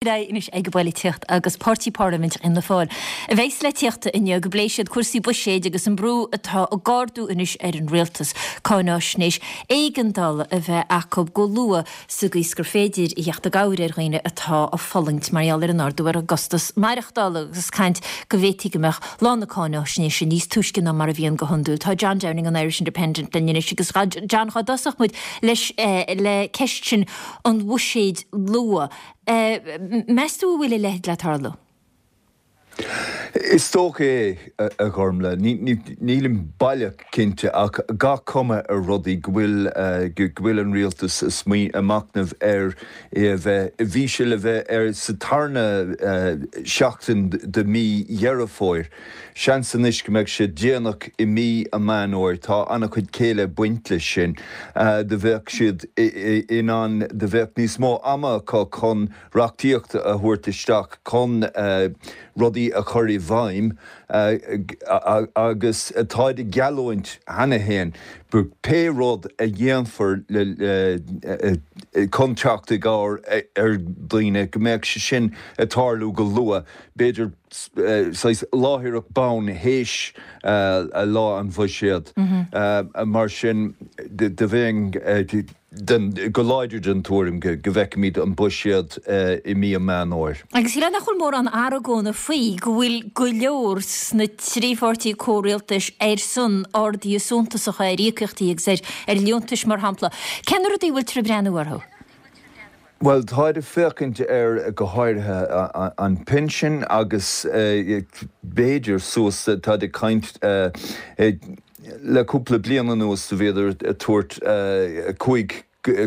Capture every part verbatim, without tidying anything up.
Anois ag an bpolaitíocht agus Páirtí Parlaiminteach Fhianna Fáil a bheas le tíocht inniu go bpléifidh siad cúrsaí buiséid agus an brú atá ag ardú anois ar an rialtas cáináisnéis éigeandála a bheith acu go luath sa gcaoi is gur féidir a theacht i gcabhair ar dhaoine atá ag fulaingt mar gheall ar an ardú ar an gcostas maireachtála agus caint go bhféadfaí go mbeadh lá na cáináisnéise níos túisce ná mar a bhíonn go hiondúil. Tá John Downing an Irish Independent linn anois agus John chun tosach muid leis eh, le ceist sin an bhuiséid luath. Eh, meas tú bhfuil a leithéid le tarlú? Is dócha é a Ghormfhlaith, nílim baileach cinnte ach gach cuma ar rudaí go bhfuil go bhfuil an rialtas ag machnamh ar é a bheith bhí sé le bheith ar sa tarna seachtain de mí Dheireadh Fómhair. Seans anois go mbeidh sé déanach i mí an Mheán Fhómhair tá an-chuid céille ag baint leis sin do bheadh siad in ann do bheadh níos mó ama acu chun reachtaíocht a thabhairt isteach chun rudaí a chur i bhfeidhm agus táid ag geallúint cheana féin pé rud a dhéanfar chun teacht i gcabhair ar daoine go mbeadh sé sin ag tarlú go luath b'fhéidir láithreach bonn théis lá an bhuiséid mar sin do bheinn go láidir den tuairim go bhfeicfimid an buiséad i mí an Mheán Fhómhair. Agus le nach bhfuil mórán argóna faoi go bhfuil go leor sna trí pháirtí comhrialtais ar son arduithe suntasacha ar íocaíochtaí agus ar ar liúntais mar shampla. Cén rudaí bhfuil tú ag breathnú orthu? Well táid ag féachaint ar go háirithe an pinsean agus b'fhéidir suas táid ag caint le cúpla bliain anuas do bhíodar ag tabhairt cúig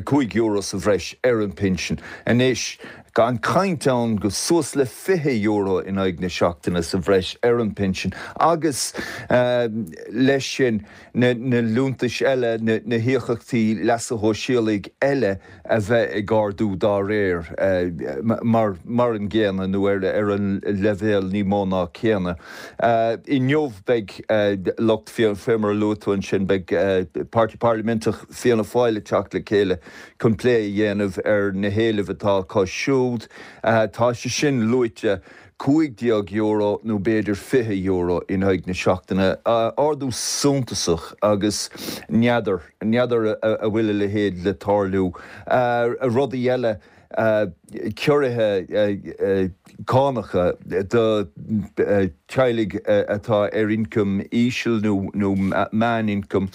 cúig euro sa bhreis ar an pinsean. Anois gan caint ann go suas le fiche euro in aghaidh na seachtaine sa bhreis ar an pinsean agus leis sin na na liúntais eile na na híocaíochtaí leasa shóisialaigh eile a bheith ag ardú dá réir mar mar an gcéanna nó ar ar an leibhéal ní mó ná céanna. Inniu beidh lucht fé mar a luaigh tú ansin beidh Páirtí Parlaiminteach Fianna Fáil ag teacht le chéile chun plé a dhéanamh ar na héilimh atá acu siúd. Tá sé sin luaite cúig déag euro nó b'fhéidir fiche euro in aghaidh na seachtaine. Ardú suntasach agus n'fheadar n'fheadar a bhfuil a leithéid le tarlú. Rudaí eile ciorruithe cánacha do teaghlaigh atá ar ioncam íseal nó nó meánioncam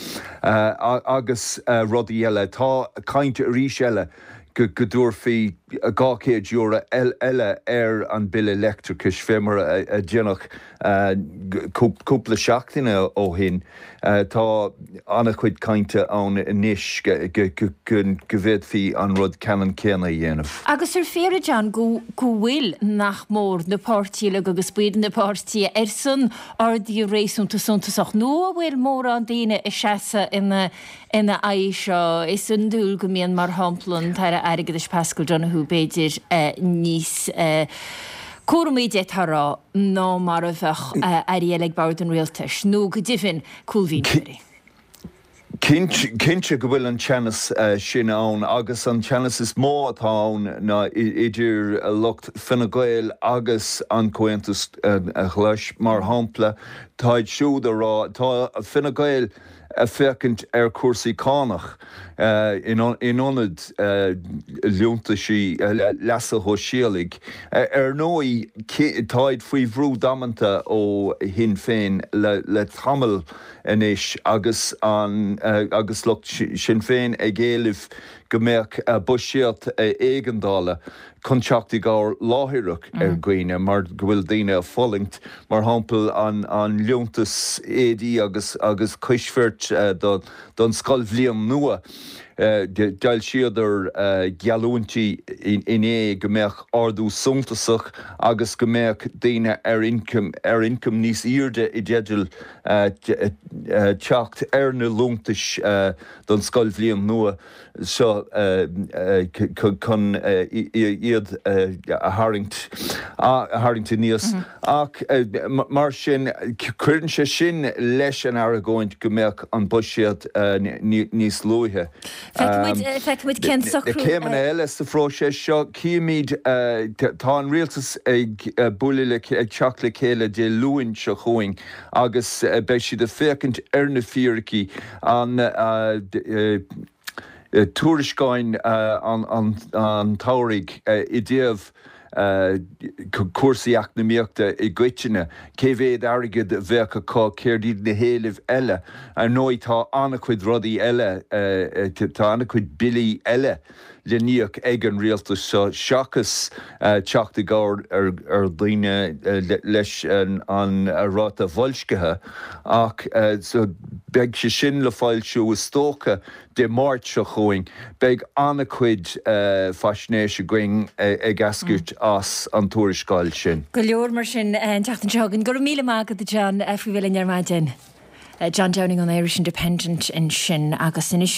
agus rudaí eile. Tá caint arís eile go go dtabharfaí dhá chéad euro eile ar an bille leictreachais fé mar a déanadh cúpla seachtaine ó shin. Tá an-chuid cainte ann anois go go bhféadfaí an rud ceannann céanna a dhéanamh. Agus ar fíor a John go go bhfuil nach mór na páirtithe uilig agus baill na páirtithe ar son arduithe réasúnta suntasach nó a bhfuil mórán daoine ag seasamh ina ina aghaidh seo is iondúil go mbíonn mar shampla an tAire Airgeadais Paschal Donohoe b'fhéidir níos cúramaí d'fhéadfá a rá ná mar a bheadh airí eile ag bord an rialtais nó go deimhin cúlmhínitheoirí. Cinnte go bhfuil an teannas sin ann agus an teannas is mó atá ann ná idir lucht Fine Gael agus an Comhaontas Glas mar shampla táid siúd a rá tá Fine Gael ag féachaint ar chúrsaí cánach in ionad liúntaisí leasa shóisialaigh. Ar ndóigh táid faoi bhrú damanta ó Shinn Féin le tamall anois agus an agus lucht Sinn Féin ag éileamh go mbeadh buiséad éigeandála chun teacht i gcabhair láithreach ar dhaoine mar go bhfuil daoine ag fulaingt, mar shampla an an liúntas éadaí agus agus coisbhirt do don scoilbhliain nua. D'fhoilsíodar geallúintí inné go mbeadh ardú suntasach agus go mbeadh daoine ar ioncam ar ioncam níos airde i dteideal teacht ar na liúntais don scoilbhliain nua seo chun iad a tharraingt a tharraingt aníos. Ach mar sin cuireann sé sin leis an argóint go mbeadh an buiséad níos luaithe. Feicfimid cén socrú. Na céimeanna eile sa phróiseas seo, címid, tá an rialtas ag bualadh le, ag teacht le chéile Dé Luain seo chugainn agus beidh siad ag féachaint ar na fíricí, an tuairisceáin an tsamhraidh i dtaobh cúrsaí eacnamaíochta i gcoitinne, cé mhéad airgead a bheadh acu, céard iad na héilimh eile. Ar ndóigh tá an-chuid rudaí eile, tá an-chuid billí eile le n-íoc ag an rialtas seo seachas teacht i gcabhair ar dhaoine leis an ráta boilscithe ach beidh sé sin le foilsiú is dócha Dé Máirt seo chugainn. Beidh an-chuid faisnéis againn ag eascairt as an tuarascáil sin. Go leor mar sin an tseachtain seo chugainn. Go raibh míle maith agat a John faoi bheith linn ar maidin. John Downing ón Irish Independent ansin agus anois.